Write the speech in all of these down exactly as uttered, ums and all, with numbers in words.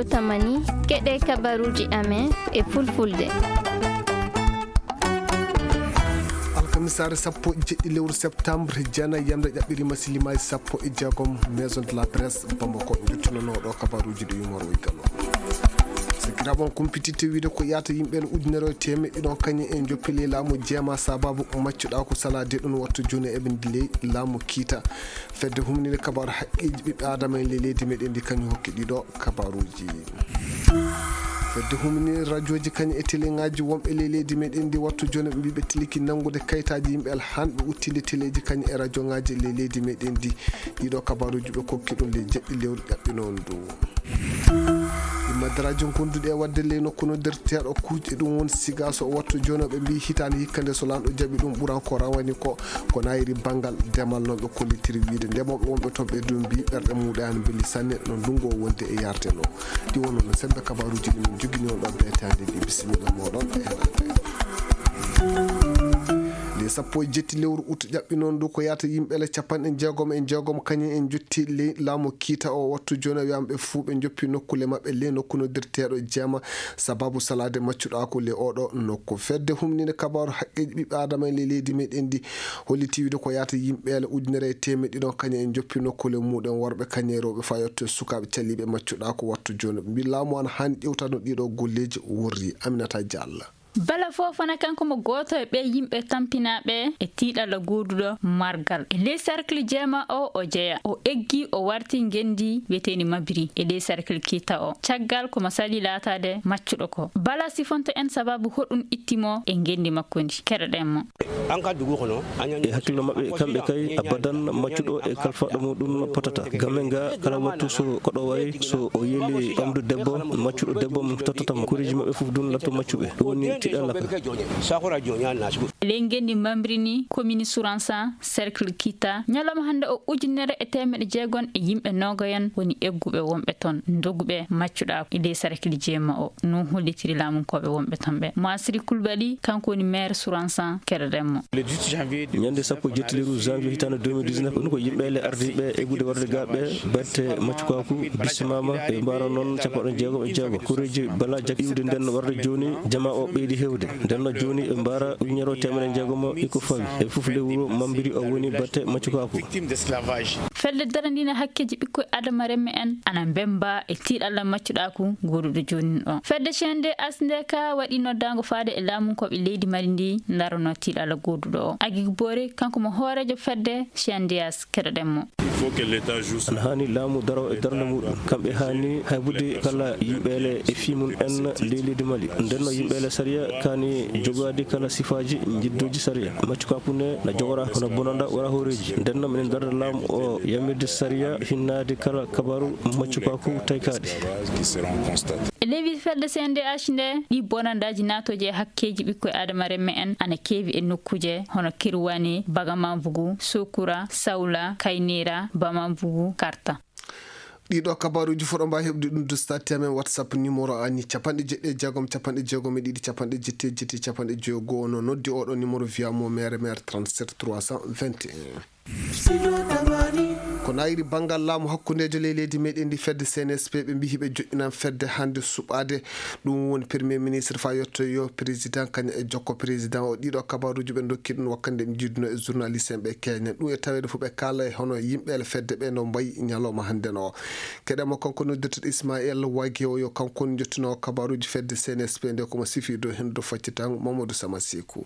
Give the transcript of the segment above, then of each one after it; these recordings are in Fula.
Tamani, keɗe kabaruuji amen e fulfulde. Alkamisaare sappo e jeɗɗi lewru septembre, jeenayi yamre ƴaɓɓiriima silimaaji sappo e jeegom, Maison de la Presse Bamako, njottinanoo ɗo kabaruuji ɗi yumor o Igalo. Sakiraaɓe, on kumpititte wiide ko yaata yimɓe ujunere e teemeɗɗe ɗiɗi kañum en njoppi ley laamu jeema sababu maccuɗaaku salaade ɗum wattu jooni eɓe ndi ley laamu kiita. Fedde humninde kabaaru haqqeeji ɓiɓɓe Aadama en ley leydi meɗen ndi kañum hokki ɗiɗo kabaaruuji. Fedde humninde rajooji kañum e teleŋaaji wonɓe ley leydi meɗen ndi wattu jooni ɓe mbii ɓe tiliki nanngude kayitaaji yimɓe alhanɓe uttinde teleeji kañum e rajooŋaaji ley leydi meɗen ndi. Ɗiɗo kabaaruuji ɓe kokki ɗum ley jeɗɗi lewru ƴaɓɓinoo ndu. Immadaraaji gonduɗi e waɗde ley nokku noddirteeɗo kuuƴe ɗum woni Sigaso o wattu jooni o ɓe mbii hitaande hikka nde so laamɗo jaɓi ɗum ɓuran ko rawani ko, ko naayiri banngal demal noon ɓe kollitiri wiide ndemooɓe wonɓe toon ɓe ɗum mbii ɓerɗe muɗaani mbelli sanne no ndunngu o wondi e yarde no. Ɗi wonno no sembe kabaaruuji ɗi min njogini on ɗo beetaande ndi bisimilla mooɗon e heɗaade. Nde sappo e jetti lewru ut ƴaɓɓi noon ndu ko yaata yimɓe ele capanɗe jeegom e jeegom kañum en jotti ley laamu kiita o wattu jooni o wiyama ɓe fuu ɓe joppi nokkule maɓɓe ley nokku noddirteeɗo jeema sababu salaade maccuɗaaku ley oɗo nokku. Fedde humninde kabaaru haqqeeji ɓiɓɓe Aadama en ley leydi meɗen ndi holliti wiide ko yaata yimɓe ele ujunere e teemeɗɗe ɗiɗi kañum en joppi nokkule muɗen worɓe kañum e rewɓe fayotto e sukaaɓe caliiɓe maccuɗaaku wattu jooni. Mbi laamu an haani ƴewtano ɗiɗo golleeji worri. Aminata Diallo. Bala Fofana kanko mo gooto e ɓee yimɓe tampinaaɓe e tiiɗalla gooduɗo margal e ley cercle jeema o o jeya. O eggi o warti ngenndi wiyeteendi Mabiri e ley cercle kiita o. Caggal ko mo sali laataade maccuɗo ko. Bala sifonto en sababu hoɗum itti mo e ngenndi makko ndi. Keɗoɗen mo. E hakkillo maɓɓe kamɓe kay abadan maccuɗo e kalfaɗo muɗum potata. Gamme nga kala wattu so koɗo wayi so o yeli ɓamdu debbo maccuɗo debbo mum tottata mo. Koreeji maɓɓe fof ɗum latto maccuɓe. Ɗum woni tiɗalla ka. Ley ngenndi Mambrini, commune Souransan, cercle Kita, ñalawma hannde o ujunere e teemeɗe jeegom e yimɓe noogayen woni egguɓe wonɓe toon, ndoguɓe maccuɗaaku e ley cercle jeema o. No hollitiri laamunkooɓe wonɓe toon ɓe. Masri Kulbali, kanko woni maire Souransan, keɗoɗen mo. Ñande sappo e jetti lewru janvier hitaande deux mille dix-neuf, ɗum ko yimɓe le ardiiɓe eggude warde ga ɓe batte maccukaaku bisimama e mbaara noon capanɗe jeegom e jeego. Koreeji bala jak iwde nden warde jooni jama o ɓeydi hewde. Nden no jooni ɓe mbaara ujunere o teemeɗe jeegom e ko fawi. E fof lewru mambiri o woni batte maccukaaku. Fedde darandina hakkeeji ɓikkoy Adama remme en ana mbemba e tiiɗalla maccuɗaaku gooduɗo jooni o. Fedde C N D H nde ka waɗi noddaango faade e laamunkooɓe leydi Mali ndi ndarono tiiɗalla gooduɗo o. Agik Boore, kanko mo hooreejo fedde C N D H, keɗoɗen mo. Ana haani laamu daro e darnde muɗum. Kamɓe haani haybude kala yimɓeele e fii mum en ley leydi Mali. Nden no yimɓeele sariya kaani jogaade kala sifaaji njiddooji sariya. Maccukaaku ne na jogora hono bonanda wara hooreeji. Nden no minen darda laamu o yamirde sariya hinnaade kala kabaaru maccukaaku taykaaɗe. E lewii fedde C N D H nde, ɗi bonandaaji naatooji e hakkeeji ɓikkoy Adama remme en ana keewi e nokkuuje hono Kirwani, Bagamambugu, Sokura, Sawla, Kaynira, Bamambugu, Karta. Ɗiɗo kabaaruuji fof ɗo mbaawi heɓde ɗum dustaati amen WhatsApp numéro ani capanɗe jeɗɗi e jeegom, capanɗe jeegom e ɗiɗi, capanɗe jetti e jetti, capanɗe joyi e go'o. No noddi oɗo numéro via mo mere mere trente-sept trois cent vingt et un. Ko naayiri banngal laamu hakkundeejo ley leydi meɗen ndi fedde C N S P ɓe mbiyi ɓe joɗɗinan fedde hannde suɓaade. Ɗum woni premier ministre fa yetto yo président kañum e jokko président o. Ɗiɗo kabaaruuji ɓe ndokki ɗum wakkande ɓe njiiduno e journaliste en ɓe keñen. Ɗum e taweede fof ɓe kaala e hono yimɓe ele fedde ɓe no mbayi ñalawma hannde no. Keɗen mo kanko noddirteɗo Ismaël Wage o yo kanko woni jottino kabaaruuji fedde C N S P nde ko mo sifi dow heen dow faccitango Mamadou Sama Sekou.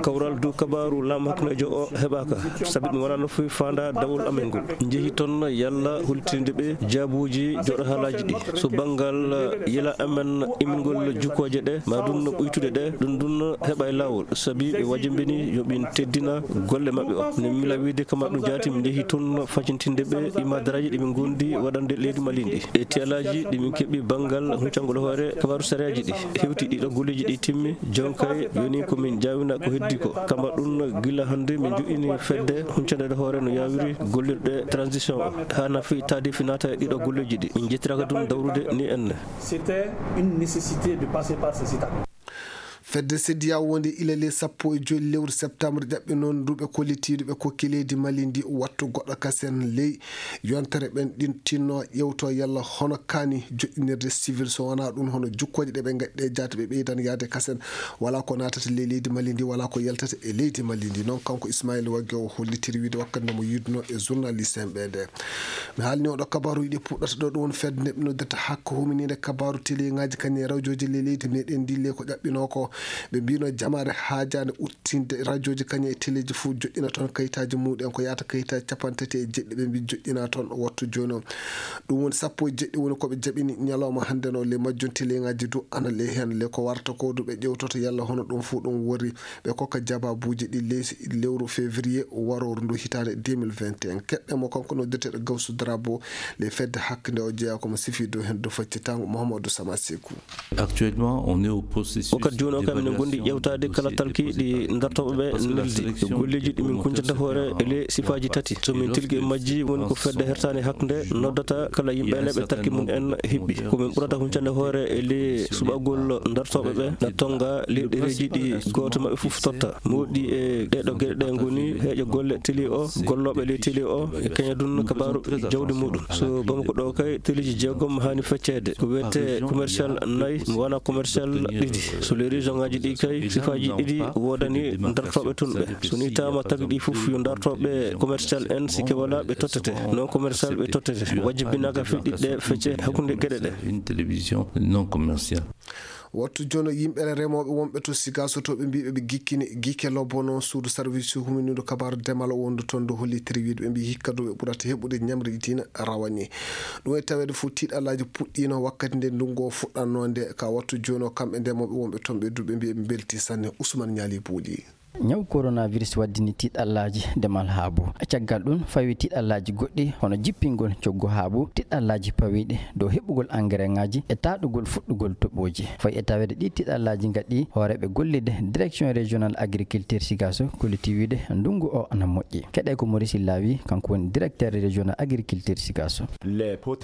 Kawral dow kabaaru laamu hakkundeejo o heɓaaka, sabi ɗum wonaa no foti faandaa dawol amen ngol. Njehi toon yalla hollitinde ɓe jaabuuji jooɗo haalaaji ɗi. So banngal yila amen immingol jukkooje ɗe, ma ɗum no ɓuytude ɗe, ɗum ɗum heɓa e laawol, sabi ɓe wajimbini yo ɓe teddina golle maɓɓe o. Ne mila wiide kama ɗum jaati, mi njehi toon faccintinde ɓe imadaraaji ɗi ɓe ngondi waɗande leydi Mali ndi. E tiyalaaji ɗi min keɓi banngal huccangol hoore kabaaru sariyaaji ɗi. Hewti ɗiɗo golleeji ɗi timmi, jonkay yoni ko min jaawina ko heddi ko. Kama ɗum gila hannde min joɗɗini fedde huccande hoore no yawiri gollirɗe transition o. Haa nafi taade finata e ɗiɗo golleeji ɗi. Min jettiraaka ɗum dawrude ni enne. C'était une nécessité de passer par ces étapes. Fedde sediya wonde ila ley sappo e joy lewru septembre ƴaɓɓi noon duuɓe kollitiiɗo ɓe kokki leydi Mali ndi wattu goɗɗo kasen ley yontere ɓen ɗin tinno ƴewto yalla hono kaani joƴƴinirde civil, so wonaa ɗum hono jukkooje ɗe ɓe ngaɗi ɗe jaati ɓe ɓeydan yaade kasen. Wala ko naatata ley leydi Mali ndi, wala ko yaltata e leydi Mali ndi. Noon kanko Ismail Wagge o hollitiri wiide wakkati nde mo yiiduno e journaliste en ɓe nde. Mi haalni oɗo kabaaru yiɗi puɗɗata ɗo ɗum woni fedde nde ɓe noddata hakko humininde kabaaru télé ŋaaji kañum e rawjooji ley leydi meɗen ndi le ko ƴaɓɓinoo ko. Ɓe mbino jamaare haajaande uttinde rawjooji kañum e téléji fof joƴƴina toon kayitaaji muɗen ko yahata kayitaaji capanɗe tati e jeɗɗi ɓe mbi joƴƴina toon wattu jooni o. Ɗum woni sappo e jeɗɗi woni ko ɓe jaɓini ñalawma hannde no le majjum télé ŋaaji du ana le heen le ko warata ko du ɓe ƴewtoto yalla hono ɗum fof ɗum wori. Ɓe kokka jabaabuuji ɗi leydi lewru février warooru ndu hitaande deux mille vingt et un. Keɗɗe mo kanko noddeteeɗo Gawsu Darabo le fedde hakkunde o jeyaa ko mo sifi dow heen dow faccitango Mouhamadou Sama Sekou. Actuellement, on est au processus. Wakkati jooni o kam enen ngondi ƴewtaade kala talki ɗi dartooɓe ɓe neldi e golleeji ɗi min kuncanta hoore e le sifaaji tati. So min tilgi e majji woni ko fedde hertaande hakkunde noddata kala yimɓe ene ɓe talki mum en hiɓɓi. Ko min ɓurata huncande hoore e le suɓagol dartooɓe ɓe na tonga ley ɗereeji ɗi gooto maɓɓe fof totta. Moɗi e ɗeɗo geɗe ɗe ngoni heeƴo golle télé o, gollooɓe ley télé o e kañadun kabaaru jawdi muɗum. So Bamako ɗo kay téléji jeegom haani fecceede. Ko wiyetee commercial nayi, mo wona commercial ɗiɗi. So ley région ŋaaji ɗi kay sifaaji ɗiɗi woodani dartooɓe tun ɓe. So ni taama tagi ɗi fof yo dartooɓe commercial en sikke wala ɓe tottete. Non commercial ɓe tottete. Wajjibinaaka fii ɗiɗɗe fecce hakkunde geɗe ɗe. Une télévision non commerciale. Wattu jono yimɓe remooɓe wonɓe to Sigaso to ɓe mbiɓe ɓe gikkini gike lobbono suudu service huminiiɗo kabaaru demal wondu toon do hollitiri wiide ɓe mbi hikka do ɓe ɓurata heɓude ñamri dina rawani. Ɗum e taweede fof tiiɗallaaji puɗɗiino wakkati nde ndungu o fuɗɗannoo nde ka wattu jono kamɓe ndemooɓe wonɓe toon ɓe du ɓe mbi ɓe mbelti sanne. Ousmane Ñaali Buuli. Ñaw coronavirus waddini tiiɗallaaji demal haabu. Caggal ɗum fawi tiiɗallaaji goɗɗi hono jippingol coggu haabu, tiiɗallaaji pawiiɗi dow heɓugol engrais ŋaaji e taaɗugol fuɗɗugol toɓooji. Fawi e taweede ɗi tiiɗallaaji ngaɗi hooreeɓe gollirde direction régional agriculture Sigaso kolliti wiide ndungu o ana moƴƴi. Keɗe ko Maurice Lawi, kanko woni directeur régional agriculture Sigaso.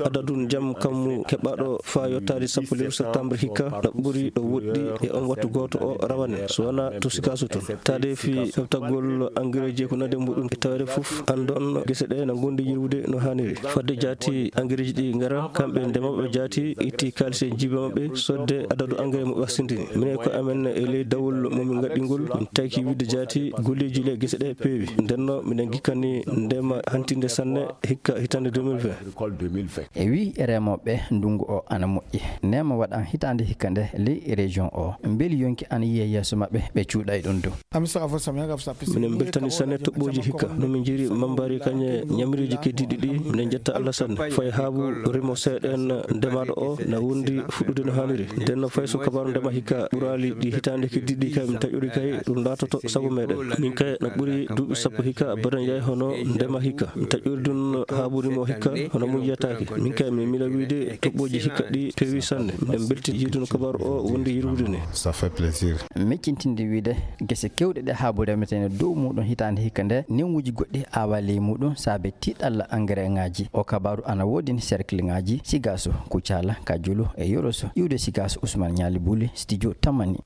Adadun jam kammu keɓaɗo faa yottaade sappo lewru septembre hikka na ɓuri ɗo woɗɗi e on wattu gooto o rawane so wona to Sigaso toon. Taade fii heɓtagol engrais ji e ko nandi e muɗum e taweede fof anndon gese ɗe na ngondi yirwude no haaniri. Fadde jaati engrais ji ɗi ngara kamɓe ndemooɓe jaati itti kaalis e jiiba maɓɓe sodde adadu engrais mo ɓe waktindini. Minen ko amen e ley dawol mo min ngaɗɗingol min tawki wiide jaati golleeji le gese ɗe peewi. Ndenno miɗen gikkani ndema hantinde sanne hikka hitande deux mille vingt. E wii remooɓe ndungu o ana moƴƴi. Neema waɗan hitaande hikka nde ley région o. Mbeli yonki ana yiya yeeso maɓɓe ɓe cuuɗay ɗum dow. Minen mbeltani sanne toɓɓooji hikka. No min njiri mambari kañe ñamriiji keddiiɗi ɗi. Minen njetta Allah sanne. Fay haabu rimo seeɗen ndemaaɗo o na wondi fuɗɗude no haaniri. Nden no fay so kabaaru ndema hikka ɓuraali ɗi hitaande keddiiɗi kay min taƴori kay ɗum laatoto sago meɗen. Min kay na ɓuri duuɓi sappo hikka badan yaay hono ndema hikka. Mi taƴori ɗum haabu rimo hikka hono mum yiyataake. Min kay min mila wiide toɓɓooji hikka ɗi peewi sanne. Minen mbelti yiiduno kabaaru o wondi yirwude ni. Ça fait plaisir. Meccintinde wiide gese kewɗe ɗe haabu remetene dow muɗum hitaande hikka nde newuuji goɗɗi awa ley muɗum saabe tiiɗalla engrais ŋaaji. O kabaaru ana woodini cercle ŋaaji Sigaso, Kucala, Kajulu e Yoroso. Iwde Sigaso, Ousmane Ñaali Buli, studio Tamani.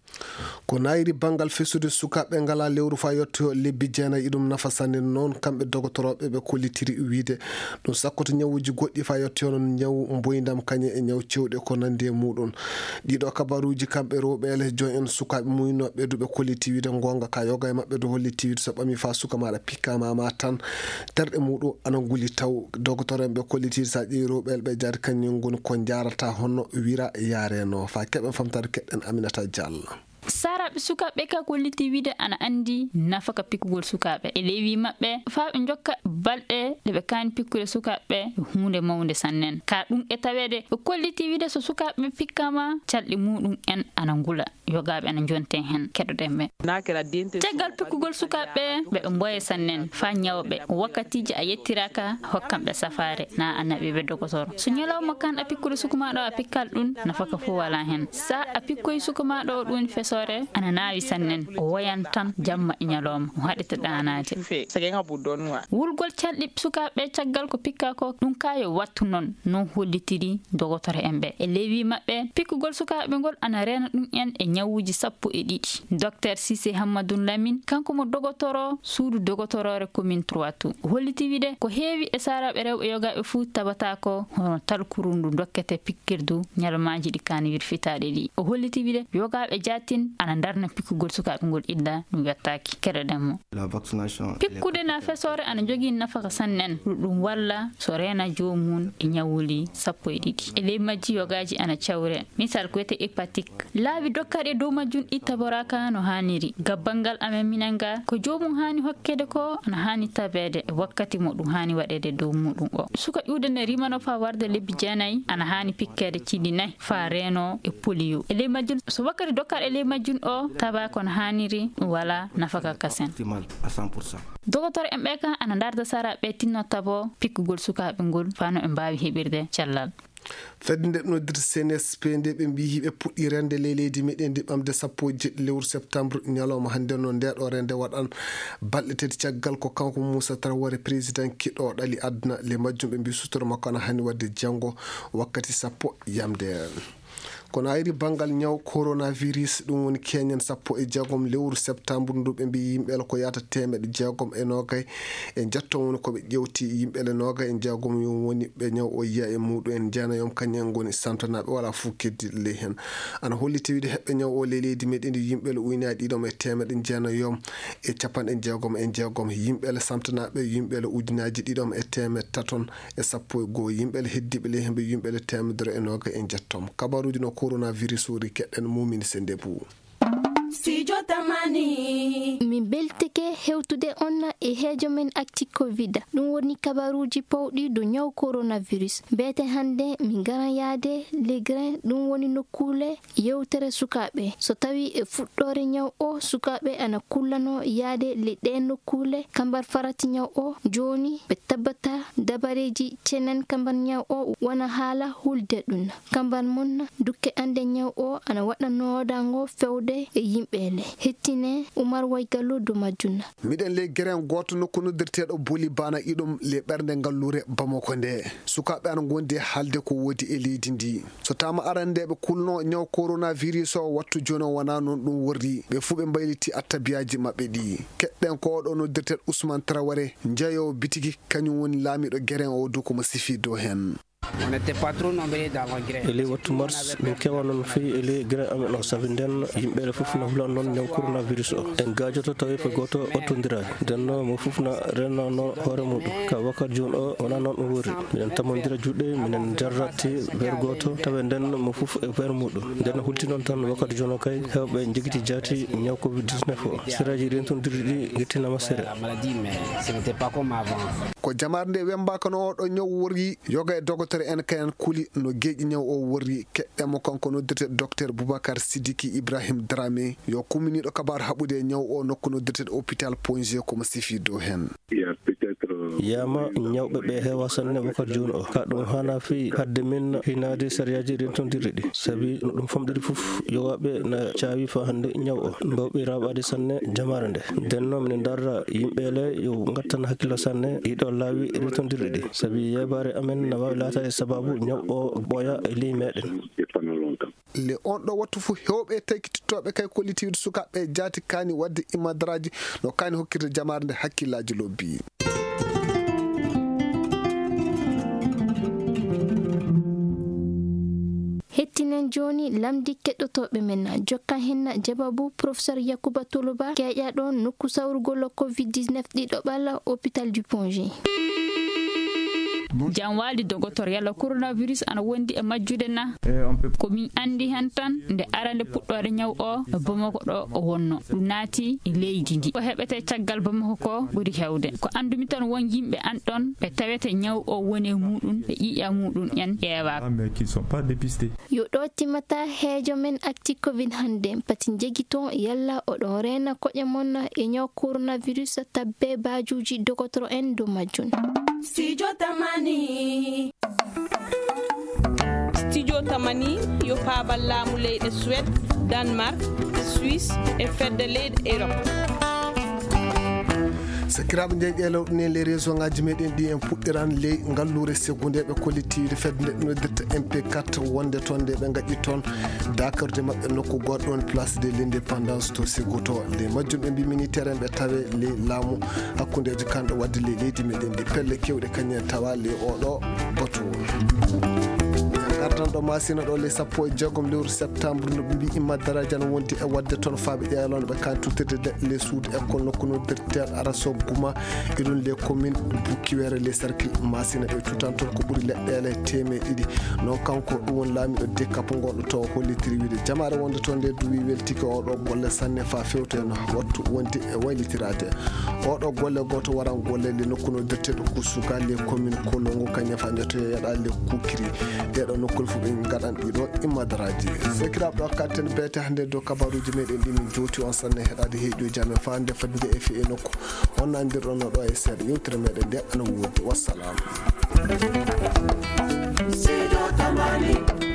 Ko naayiri banngal fesude sukaaɓe ngalaa lewru faa yottoyoo lebbi jeenayi, iɗum nafa sanne. Noon kamɓe dogotorooɓe ɓe kollitiri wiide ɗum sakkoto ñawuuji goɗɗi faa yottoyoo noon ñawu mboyndam kañe e ñaw cewɗe ko nanndi e muɗum. Ɗiɗo kabaruuji kamɓe rewɓe ele joom en sukaaɓe muynooɓe du ɓe kolliti wiide ngoonga ka yoga e maɓɓe du holliti wiide so ɓami faa suka maaɗa pikkaama ma tan terɗe muɗum ana nguli taw. Dogotor en ɓe kolliti sa ƴeewi rewɓe ele ɓe jaati kañum ngoni ko njaarata hono wira yaareno faa keɓen famtaade keɗɗen Aminata Diallo. Saaraaɓe sukaaɓe ka kolliti wiide ana anndi nafa ka pikkugol sukaaɓe e ley wii maɓɓe faa ɓe njokka balɗe ɗe ɓe kaani pikkude sukaaɓe huunde mawnde sannen. Ka ɗum e taweede ɓe kolliti wiide so sukaaɓe pikkama calɗi muɗum en ana ngula. Yogaaɓe ana njonten heen keɗoɗen ɓe. Caggal pikkugol sukaaɓe ɓe ɓe mboye sannen faa ñawɓe wakkatiiji a yettiraaka hokkanɓe safaare na a naɓiɓe dogotoro. So ñalawma kan a pikkude suku maaɗo a pikkal ɗum nafaka fof wala heen. Sa a pikkoy suku maaɗo o ɗum feso Dogotoore ana naawi sannen, o woyan tan jamma e ñalawma, o haɗete ɗaanaade. Wulgol calɗi sukaaɓe caggal ko pikkaa ko, ɗum kaa yo wattu noon, noon hollitiri dogotoro en ɓe. E lewii maɓɓe, pikkugol sukaaɓe ngol ana reena ɗum en e ñawuuji sappo e ɗiɗi. Docteur Cissé Hammadou Lamine, kanko mo dogotoro suudu dogotoroore commune trois Tours, o holliti wiide ko heewi e saaraaɓe rewɓe yogaaɓe fuu tabataa ko hono talkuru ndu dokkete pikkirdu ñalawmaaji ɗi kaani wirfitaade ɗi. O holliti wiide yogaaɓe jaatin ana ndarna pikkugol sukaaɓe ngol illa ɗum wettaaki. Keɗoɗen mo. Pikkude na fesoore ana jogii nafaka sannen, ɗum walla so reena joomum e ñawuli sappo e ɗiɗi. E ley majji yogaaji ana cawre. Misal ko wiyetee hépatique. Laabi dokkaɗi e dow majjum ɗi taboraaka no haaniri. Gabbal ngal amen minen ga, ko joomum haani hokkede ko ana haani tabeede e wakkati mo ɗum haani waɗeede dow muɗum o. Suka ƴuwde ne rimano faa warde lebbi jeenayi, ana haani pikkeede ciidi nayi faa reeno e polio. E ley majjum, so wakkati dokkaɗo e ley majjum o tabaa ko no haaniri, ɗum walaa nafaka kasen. Dogotoro en ɓe ka ana ndarda sara ɓe tinno tabo pikkugol sukaaɓe ngol faa no ɓe mbaawi heɓirde cellal. Fedde nde noddirta C N S P nde ɓe mbiyi ɓe puɗɗii rende ley leydi meɗen ndi ɓamde sappo e jeɗɗi lewru septembre, ñalawma hannde noon nde ɗo rende waɗan balɗe tati caggal ko kanko Moussa Traoré président kiɗo ɗali aduna. Ley majjum ɓe mbiyi sutoro makko ana hani waɗde janngo wakkati sappo yamde. Kono ayri banngal ñaw coronavirus, ɗum woni keñen sappo e jeegom lewru septembre ndu ɓe mbiyi yimɓe ko yahata teemeɗe jeegom e noogay e njetto woni ko ɓe ƴewti yimɓe le noogay e jeegom yo woni ɓe ñaw o yiya e muɗum en jeenayom kañum en ngoni samtanaaɓe wala fof keddiiɗo ley heen. Ana holliti wiide heɓɓe ñaw o ley leydi meɗen ndi yimɓe le ujunaaji ɗiɗom e teemeɗe jeenayom e capanɗe jeegom e jeegom yimɓe le samtanaaɓe yimɓe le ujunaaji ɗiɗom e teemeɗe taton e sappo e goo yimɓe le heddiiɓe ley heen ɓe yimɓe le teemedere e noogay e njettom. Kabaruuji no coronavirus uri keɗɗen mumini se ndebu. Studio Tamani. Min mbeltike hewtude on e heejo men Actu Covid. Ɗum woni kabaruuji pawɗi dow ñaw coronavirus. Mbete hannde min ngaran yaade le grain, ɗum woni nokkuule yewtere sukaaɓe. So tawi e fuɗɗoore ñaw o, sukaaɓe ana kullano yaade le ɗe nokkuule, kambar farati ñaw o. Jooni ɓe tabbata dabareeji cenen kambar ñaw o wona haala hulde ɗum. Kamban mon dukke ande ñaw o ana waɗa noodango fewde e yimɓe le. Hettine Umar Waygallo dow majjum. Miɗen ley geren gooto nokku noddirteeɗo Boli Bana iɗum le ɓernde ngalluure Bamako nde. Sukaaɓe ana ngondi e haalde ko woodi e leydi ndi. So tama arandeeɓe kulno ñaw coronavirus o wattu jooni o wona noon ɗum worri. Ɓe fuu ɓe mbayliti attabiyaaji maɓɓe ɗi. Keɗɗen ko oɗo noddirteeɗo Ousmane Traoré, njeeyowo bitigi, kañum woni laamiiɗo geren o dow ko mo sifi dow heen. On n'était pas trop nombreux dans le grain. E ley wattu mars, min keewano no feewi e ley grain amen o, sabi nden yimɓe le fof na hula noon ñaw coronavirus o. En gaajoto tawi ko gooto ottondiraani. Nden noon mo fof na renno noon hoore muɗum. Ka wakkati jooni o, wona noon ɗum wori. Minen tamondira juuɗe, minen njarrati weer gooto, tawi nden mo fof e weer muɗum. Nden hulti noon tan wakkati jooni o kay, heewɓe njogiti jaati ñaw covid dix-neuf o. Seraaji rentondirɗi ɗi gettinama sere. La maladie, mais ce n'était pas comme avant. Ko jamaare nde wembaaka no oɗo ñaw worri, yoga e dogotore en kayen kuli no geeƴi ñaw o worri. Keɗɗen mo kanko noddirte docteur Boubacar Sidiki Ibrahim Dramé, yo kumminiiɗo kabaar haɓude e ñaw o nokku noddirte hôpital Pointe G, ko mo sifi dow heen. Il y a peut-être, euh, Yama ñawɓe ɓe heewa sanne wakkati jooni o. Ka ɗum hana fi hadde min hinaade sariyaaji rentondirɗi ɗi. Sabi no ɗum famɗiri fof, yowaaɓe na caawi fa hannde ñaw o. Mbawɓe raɓaade sanne jamaare nde. Nden noon minen darra yimɓe le yo ngattan hakkillo sanne ɗiɗo laawi rentondirɗi ɗi. Sabi yeebaare amen na waawi laataade sababu ñaw o ɓooya e ley meɗen. Le on ɗo wattu fof heewɓe taykitittooɓe kay kollitiiɓe sukaaɓe jaati kaani waɗde imadaraaji no kaani hokkirde jamaare nde hakkillaaji lobbi. Hettinen jooni lamndi keɗotooɓe men, jokkan hen jababu Professeur Yakuba Toloba, keeƴaaɗo nokku sawrugol covid dix-neuf ɗiɗo ɓalla hôpital du Pongé. Jam waali dogotor, yalla coronavirus ana wondi e majjude na? Ko min anndi hen tan, nde arande puɗɗoore ñaw o e Bamako ɗo o wonno, ɗum naati e leydi ndi. Ko heɓete caggal Bamako ko ɓuri hewde. Ko anndumi tan won yimɓe an ɗon ɓe tawete ñaw o woni e muɗum, ɓe ƴiiƴa muɗum en ƴeewaaka. Yo ɗo timmata heejo men Actu covid hannde. Pati njegiton yalla oɗon reena koƴe mon e ñaw coronavirus, tabbe baajuuji dogotoro en dow majjum. Studio Tamani. Studio Tamani yo paabal laamu leyɗe Suède, Danemark, Suisse e fedde leyɗe Europe. Sakiraaɓe, nde ƴeelawɗo ni les région ngaji meɗen ɗi, en puɗɗiran ley ngalluure Ségou nde ɓe kolliti fedde nde noddirta M P quatre, wonde toon nde ɓe ngaɗi toon dakarde maɓɓe nokku goɗɗo, woni place de l'indépendance to Ségou to. Ley majjum ɓe mbi militaire en ɓe tawe ley laamu hakkundeejo kanɗo wadde ley leydi meɗen ndi. Pelle kewɗe kañum en tawa ley oɗo batu. Gardan ɗo Masina ɗo ley sappo e jeegom lewru septembre, no ɓe mbi Imma Daraja no wondi e wadde toon faaɓe ƴeelonɓe kan tuttirde leɗɗe ley suudu école nokku noddirtel Araso Guma, iɗum ley commune Bukiwere ley cercle Masina. Ɓe tutan toon ko ɓuri leɗɗeele teemeɗe ɗiɗi. Noon kanko ɗum woni laamiɗo Dekapo ngonɗo to, hollitiri wiide jamaare wonde toon nde duwi weltike oɗo golle sanne faa fewta en wattu wonde e waylitiraade. Oɗo golle gooto waran golle le nokku noddirteɗo Kusuga le commune Kolongo, kañum fa njotoyo yaɗa le Kukiri. Ɗeɗo nokkol fof ɓe ngaɗan ɗiɗo immadaraaji. Sakiraaɓe, ɗo katten beete hannde dow kabaruuji meɗen ɗi min jowti on sanne heɗaade heeƴo jame faa nde fadde e fii e nokku on nandirɗon no ɗo e seeɗa yewtere meɗen nde ana woodi. Wassalam. Sido Tamani.